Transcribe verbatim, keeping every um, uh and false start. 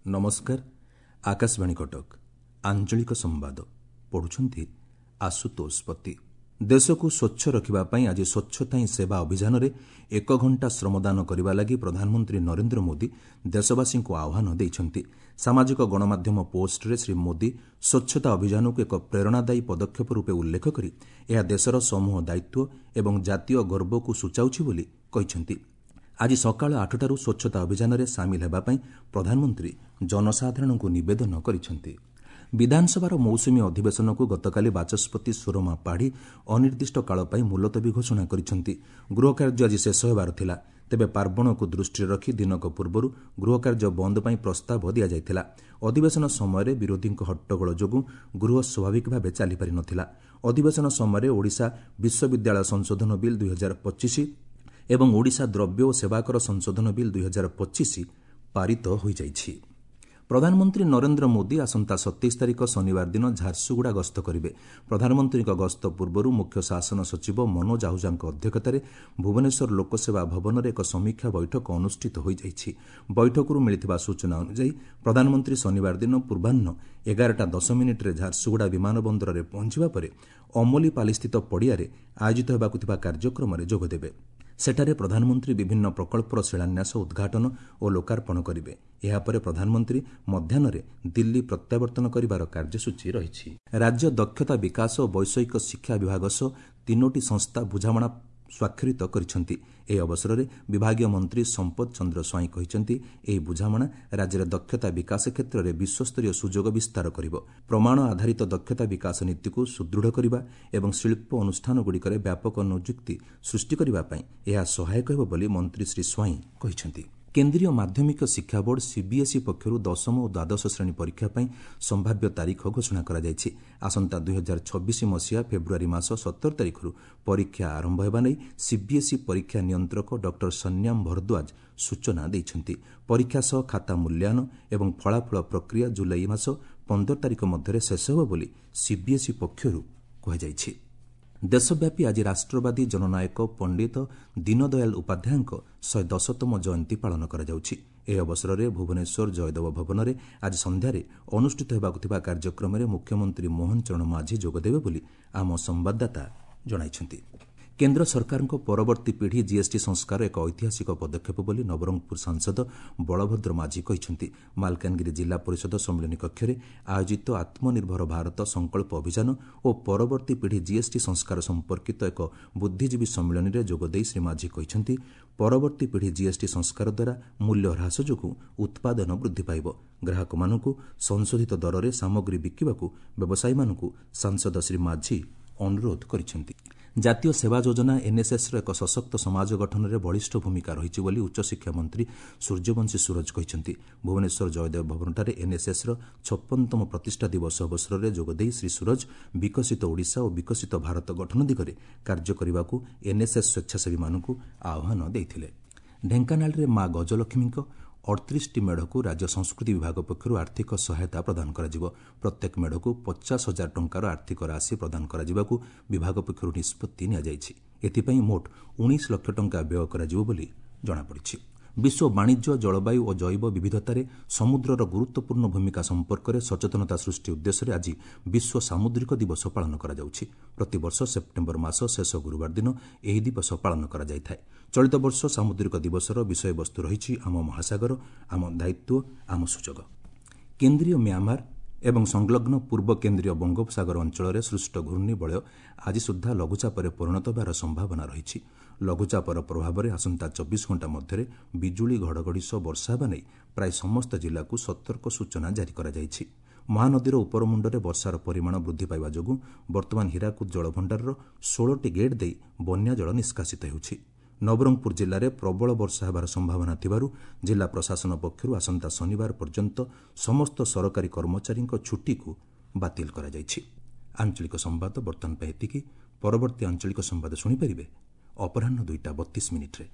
ନମସ୍କାର, ଆକାଶବାଣୀ କଟକ, ଆଞ୍ଚଳିକ ସମ୍ବାଦ ପଢୁଛନ୍ତି ଆଶୁତୋଷ ପତି। ଦେଶକୁ ସ୍ୱଚ୍ଛ ରଖିବା ପାଇଁ ଆଜି ସ୍ୱଚ୍ଛତା ହିଁ ସେବା ଅଭିଯାନରେ ଏକ ଘଣ୍ଟା ଶ୍ରମଦାନ କରିବା ଲାଗି ପ୍ରଧାନମନ୍ତ୍ରୀ ନରେନ୍ଦ୍ର ମୋଦି ଦେଶବାସୀଙ୍କୁ ଆହ୍ୱାନ ଦେଇଛନ୍ତି। ସାମାଜିକ ଗଣମାଧ୍ୟମ ପୋଷ୍ଟରେ ଶ୍ରୀ ମୋଦି ସ୍ୱଚ୍ଛତା ଅଭିଯାନକୁ ଏକ ପ୍ରେରଣାଦାୟୀ ପଦକ୍ଷେପ ରୂପେ ଉଲ୍ଲେଖ କରି ଏହା ଦେଶର ସମୂହ ଦାୟିତ୍ୱ ଏବଂ ଜାତୀୟ ଗର୍ବକୁ ସୂଚାଉଛି ବୋଲି କହିଛନ୍ତି। ଆଜି ସକାଳ ଆଠଟାରୁ ସ୍ୱଚ୍ଛତା ଅଭିଯାନରେ ସାମିଲ ହେବା ପାଇଁ ପ୍ରଧାନମନ୍ତ୍ରୀ ଜନସାଧାରଣଙ୍କୁ ନିବେଦନ କରିଛନ୍ତି। ବିଧାନସଭାର ମୌସୁମୀ ଅଧିବେଶନକୁ ଗତକାଲି ବାଚସ୍ପତି ସୁରମା ପାଢ଼ୀ ଅନିର୍ଦ୍ଦିଷ୍ଟ କାଳ ପାଇଁ ମୁଲତବୀ ଘୋଷଣା କରିଛନ୍ତି। ଗୃହକାର୍ଯ୍ୟ ଆଜି ଶେଷ ହେବାର ଥିଲା। ତେବେ ପାର୍ବଣକୁ ଦୃଷ୍ଟିରେ ରଖି ଦିନକ ପୂର୍ବରୁ ଗୃହକାର୍ଯ୍ୟ ବନ୍ଦ ପାଇଁ ପ୍ରସ୍ତାବ ଦିଆଯାଇଥିଲା। ଅଧିବେଶନ ସମୟରେ ବିରୋଧୀଙ୍କ ହଟ୍ଟଗୋଳ ଯୋଗୁଁ ଗୃହ ସ୍ୱାଭାବିକ ଭାବେ ଚାଲିପାରି ନଥିଲା। ଅଧିବେଶନ ସମୟରେ ଓଡ଼ିଶା ବିଶ୍ୱବିଦ୍ୟାଳୟ ସଂଶୋଧନ ବିଲ୍ ଦୁଇହଜାର ପଚିଶ ଏବଂ ଓଡ଼ିଶା ଦ୍ରବ୍ୟ ଓ ସେବାକର ସଂଶୋଧନ ବିଲ୍ ଦୁଇହଜାର ପଚିଶ ପାରିତ ହୋଇଯାଇଛି। ପ୍ରଧାନମନ୍ତ୍ରୀ ନରେନ୍ଦ୍ର ମୋଦି ଆସନ୍ତା ସତେଇଶ ତାରିଖ ଶନିବାର ଦିନ ଝାରସୁଗୁଡ଼ା ଗସ୍ତ କରିବେ। ପ୍ରଧାନମନ୍ତ୍ରୀଙ୍କ ଗସ୍ତ ପୂର୍ବରୁ ମୁଖ୍ୟ ଶାସନ ସଚିବ ମନୋଜ ଆହୁଜାଙ୍କ ଅଧ୍ୟକ୍ଷତାରେ ଭୁବନେଶ୍ୱର ଲୋକସେବା ଭବନରେ ଏକ ସମୀକ୍ଷା ବୈଠକ ଅନୁଷ୍ଠିତ ହୋଇଯାଇଛି। ବୈଠକରୁ ମିଳିଥିବା ସୂଚନା ଅନୁଯାୟୀ ପ୍ରଧାନମନ୍ତ୍ରୀ ଶନିବାର ଦିନ ପୂର୍ବାହ୍ନ ଏଗାରଟା ଦଶ ମିନିଟ୍ରେ ଝାରସୁଗୁଡ଼ା ବିମାନ ବନ୍ଦରରେ ପହଞ୍ଚିବା ପରେ ଅମଲିପାଲିସ୍ଥିତ ପଡ଼ିଆରେ ଆୟୋଜିତ ହେବାକୁ ଥିବା କାର୍ଯ୍ୟକ୍ରମରେ ଯୋଗଦେବେ। ସେଠାରେ ପ୍ରଧାନମନ୍ତ୍ରୀ ବିଭିନ୍ନ ପ୍ରକଳ୍ପର ଶିଳାନ୍ୟାସ, ଉଦ୍ଘାଟନ ଓ ଲୋକାର୍ପଣ କରିବେ। ଏହାପରେ ପ୍ରଧାନମନ୍ତ୍ରୀ ମଧ୍ୟାହ୍ନରେ ଦିଲ୍ଲୀ ପ୍ରତ୍ୟାବର୍ତ୍ତନ କରିବାର କାର୍ଯ୍ୟସୂଚୀ ରହିଛି। ରାଜ୍ୟ ଦକ୍ଷତା ବିକାଶ ଓ ବୈଷୟିକ ଶିକ୍ଷା ବିଭାଗ ସହ ତିନୋଟି ସଂସ୍ଥା ବୁଝାମଣା ସ୍ୱାକ୍ଷରିତ କରିଛନ୍ତି। ଏହି ଅବସରରେ ବିଭାଗୀୟ ମନ୍ତ୍ରୀ ସମ୍ପଦ ଚନ୍ଦ୍ର ସ୍ୱାଇଁ କହିଛନ୍ତି, ଏହି ବୁଝାମଣା ରାଜ୍ୟରେ ଦକ୍ଷତା ବିକାଶ କ୍ଷେତ୍ରରେ ବିଶ୍ୱସ୍ତରୀୟ ସୁଯୋଗ ବିସ୍ତାର କରିବ। ପ୍ରମାଣ ଆଧାରିତ ଦକ୍ଷତା ବିକାଶ ନୀତିକୁ ସୁଦୃଢ଼ କରିବା ଏବଂ ଶିଳ୍ପ ଅନୁଷ୍ଠାନଗୁଡ଼ିକରେ ବ୍ୟାପକ ନିଯୁକ୍ତି ସୃଷ୍ଟି କରିବା ପାଇଁ ଏହା ସହାୟକ ହେବ ବୋଲି ମନ୍ତ୍ରୀ ଶ୍ରୀ ସ୍ୱାଇଁ କହିଛନ୍ତି। କେନ୍ଦ୍ରୀୟ ମାଧ୍ୟମିକ ଶିକ୍ଷା ବୋର୍ଡ ସିବିଏସ୍ଇ ପକ୍ଷରୁ ଦଶମ ଓ ଦ୍ୱାଦଶ ଶ୍ରେଣୀ ପରୀକ୍ଷା ପାଇଁ ସମ୍ଭାବ୍ୟ ତାରିଖ ଘୋଷଣା କରାଯାଇଛି। ଆସନ୍ତା ଦୁଇହଜାର ଛବିଶ ମସିହା ଫେବୃଆରୀ ମାସ ସତର ତାରିଖରୁ ପରୀକ୍ଷା ଆରମ୍ଭ ହେବା ନେଇ ସିବିଏସ୍ଇ ପରୀକ୍ଷା ନିୟନ୍ତ୍ରକ ଡକ୍ଟର ସନ୍ୟାମ ଭରଦ୍ୱାଜ ସୂଚନା ଦେଇଛନ୍ତି। ପରୀକ୍ଷା ସହ ଖାତା ମୂଲ୍ୟାୟନ ଏବଂ ଫଳାଫଳ ପ୍ରକ୍ରିୟା ଜୁଲାଇ ମାସ ପନ୍ଦର ତାରିଖ ମଧ୍ୟରେ ଶେଷ ହେବ ବୋଲି ସିବିଏସ୍ଇ ପକ୍ଷରୁ କୁହାଯାଇଛି। ଦେଶବ୍ୟାପୀ ଆଜି ରାଷ୍ଟ୍ରବାଦୀ ଜନନାୟକ ପଣ୍ଡିତ ଦୀନଦୟାଲ ଉପାଧ୍ୟାୟଙ୍କ ଶହେ ଦଶତମ ଜୟନ୍ତୀ ପାଳନ କରାଯାଉଛି। ଏହି ଅବସରରେ ଭୁବନେଶ୍ୱର ଜୟଦେବ ଭବନରେ ଆଜି ସନ୍ଧ୍ୟାରେ ଅନୁଷ୍ଠିତ ହେବାକୁ ଥିବା କାର୍ଯ୍ୟକ୍ରମରେ ମୁଖ୍ୟମନ୍ତ୍ରୀ ମୋହନ ଚରଣ ମାଝୀ ଯୋଗଦେବେ ବୋଲି ଆମ ସମ୍ବାଦଦାତା ଜଣାଇଛନ୍ତି। କେନ୍ଦ୍ର ସରକାରଙ୍କ ପରବର୍ତ୍ତୀ ପିଢ଼ି ଜିଏସ୍ଟି ସଂସ୍କାର ଏକ ଐତିହାସିକ ପଦକ୍ଷେପ ବୋଲି ନବରଙ୍ଗପୁର ସାଂସଦ ବଳଭଦ୍ର ମାଝୀ କହିଛନ୍ତି। ମାଲକାନଗିରି ଜିଲ୍ଲା ପରିଷଦ ସମ୍ମିଳନୀ କକ୍ଷରେ ଆୟୋଜିତ ଆତ୍ମନିର୍ଭର ଭାରତ ସଂକଳ୍ପ ଅଭିଯାନ ଓ ପରବର୍ତ୍ତୀ ପିଢ଼ି ଜିଏସ୍ଟି ସଂସ୍କାର ସମ୍ପର୍କିତ ଏକ ବୁଦ୍ଧିଜୀବୀ ସମ୍ମିଳନୀରେ ଯୋଗଦେଇ ଶ୍ରୀ ମାଝୀ କହିଛନ୍ତି, ପରବର୍ତ୍ତୀ ପିଢ଼ି ଜିଏସ୍ଟି ସଂସ୍କାର ଦ୍ୱାରା ମୂଲ୍ୟ ହ୍ରାସ ଯୋଗୁଁ ଉତ୍ପାଦନ ବୃଦ୍ଧି ପାଇବ। ଗ୍ରାହକମାନଙ୍କୁ ସଂଶୋଧିତ ଦରରେ ସାମଗ୍ରୀ ବିକିବାକୁ ବ୍ୟବସାୟୀମାନଙ୍କୁ ସାଂସଦ ଶ୍ରୀ ମାଝୀ ଅନୁରୋଧ କରିଛନ୍ତି। ଜାତୀୟ ସେବା ଯୋଜନା ଏନ୍ଏସ୍ଏସ୍ର ଏକ ସଶକ୍ତ ସମାଜ ଗଠନରେ ବଳିଷ୍ଠ ଭୂମିକା ରହିଛି ବୋଲି ଉଚ୍ଚଶିକ୍ଷା ମନ୍ତ୍ରୀ ସୂର୍ଯ୍ୟବଂଶୀ ସୂରଜ କହିଛନ୍ତି। ଭୁବନେଶ୍ୱର ଜୟଦେବ ଭବନଠାରେ ଏନ୍ଏସ୍ଏସ୍ର ଛପନତମ ପ୍ରତିଷ୍ଠା ଦିବସ ଅବସରରେ ଯୋଗଦେଇ ଶ୍ରୀ ସୂରଜ ବିକଶିତ ଓଡ଼ିଶା ଓ ବିକଶିତ ଭାରତ ଗଠନ ଦିଗରେ କାର୍ଯ୍ୟ କରିବାକୁ ଏନ୍ଏସ୍ଏସ୍ ସ୍ୱେଚ୍ଛାସେବୀମାନଙ୍କୁ ଆହ୍ୱାନ ଦେଇଥିଲେ। ଢେଙ୍କାନାଳରେ ମା ଗଜଲକ୍ଷ୍ମୀଙ୍କ ଅଠତିରିଶଟି ମେଢ଼କୁ ରାଜ୍ୟ ସଂସ୍କୃତି ବିଭାଗ ପକ୍ଷରୁ ଆର୍ଥିକ ସହାୟତା ପ୍ରଦାନ କରାଯିବ। ପ୍ରତ୍ୟେକ ମେଢ଼କୁ ପଚାଶ ହଜାର ଟଙ୍କାର ଆର୍ଥିକ ରାଶି ପ୍ରଦାନ କରାଯିବାକୁ ବିଭାଗ ପକ୍ଷରୁ ନିଷ୍ପତ୍ତି ନିଆଯାଇଛି। ଏଥିପାଇଁ ମୋଟ ଉଣେଇଶ ଲକ୍ଷ ଟଙ୍କା ବ୍ୟୟ କରାଯିବ ବୋଲି ଜଣାପଡ଼ିଛି। ବିଶ୍ୱ ବାଣିଜ୍ୟ, ଜଳବାୟୁ ଓ ଜୈବ ବିବିଧତାରେ ସମୁଦ୍ରର ଗୁରୁତ୍ୱପୂର୍ଣ୍ଣ ଭୂମିକା ସମ୍ପର୍କରେ ସଚେତନତା ସୃଷ୍ଟି ଉଦ୍ଦେଶ୍ୟରେ ଆଜି ବିଶ୍ୱ ସାମୁଦ୍ରିକ ଦିବସ ପାଳନ କରାଯାଉଛି। ପ୍ରତିବର୍ଷ ସେପ୍ଟେମ୍ବର ମାସ ଶେଷ ଗୁରୁବାର ଦିନ ଏହି ଦିବସ ପାଳନ କରାଯାଇଥାଏ। ଚଳିତ ବର୍ଷ ସାମୁଦ୍ରିକ ଦିବସର ବିଷୟବସ୍ତୁ ରହିଛି ଆମ ମହାସାଗର, ଆମ ଦାୟିତ୍ୱ, ଆମ ସୁଯୋଗ। କେନ୍ଦ୍ରୀୟ ମ୍ୟାମାର ଏବଂ ସଂଲଗ୍ନ ପୂର୍ବ କେନ୍ଦ୍ରୀୟ ବଙ୍ଗୋପସାଗର ଅଞ୍ଚଳରେ ସୃଷ୍ଟ ଘୂର୍ଣ୍ଣିବଳୟ ଆଜି ସୁଦ୍ଧା ଲଘୁଚାପରେ ପରିଣତ ହେବାର ସମ୍ଭାବନା ରହିଛି। ଲଘୁଚାପର ପ୍ରଭାବରେ ଆସନ୍ତା ଚବିଶ ଘଣ୍ଟା ମଧ୍ୟରେ ବିଜୁଳି ଘଡ଼ଘଡ଼ି ସହ ବର୍ଷା ହେବା ନେଇ ପ୍ରାୟ ସମସ୍ତ ଜିଲ୍ଲାକୁ ସତର୍କ ସୂଚନା ଜାରି କରାଯାଇଛି। ମହାନଦୀର ଉପରମୁଣ୍ଡରେ ବର୍ଷାର ପରିମାଣ ବୃଦ୍ଧି ପାଇବା ଯୋଗୁଁ ବର୍ତ୍ତମାନ ହୀରାକୁଦ ଜଳଭଣ୍ଡାରର ଷୋହଳଟି ଗେଟ୍ ଦେଇ ବନ୍ୟା ଜଳ ନିଷ୍କାସିତ ହେଉଛି। ନବରଙ୍ଗପୁର ଜିଲ୍ଲାରେ ପ୍ରବଳ ବର୍ଷା ହେବାର ସମ୍ଭାବନା ଥିବାରୁ ଜିଲ୍ଲା ପ୍ରଶାସନ ପକ୍ଷରୁ ଆସନ୍ତା ଶନିବାର ପର୍ଯ୍ୟନ୍ତ ସମସ୍ତ ସରକାରୀ କର୍ମଚାରୀଙ୍କ ଛୁଟିକୁ ବାତିଲ କରାଯାଇଛି। ଆଞ୍ଚଳିକ ସମ୍ବାଦ ବର୍ତ୍ତମାନ ପାଇଁ ଏତିକି। ପରବର୍ତ୍ତୀ ଆଞ୍ଚଳିକ ସମ୍ବାଦ ଶୁଣିପାରିବେ ଅପରାହ୍ନ ଦୁଇଟା ବତିଶ ମିନିଟ୍ରେ।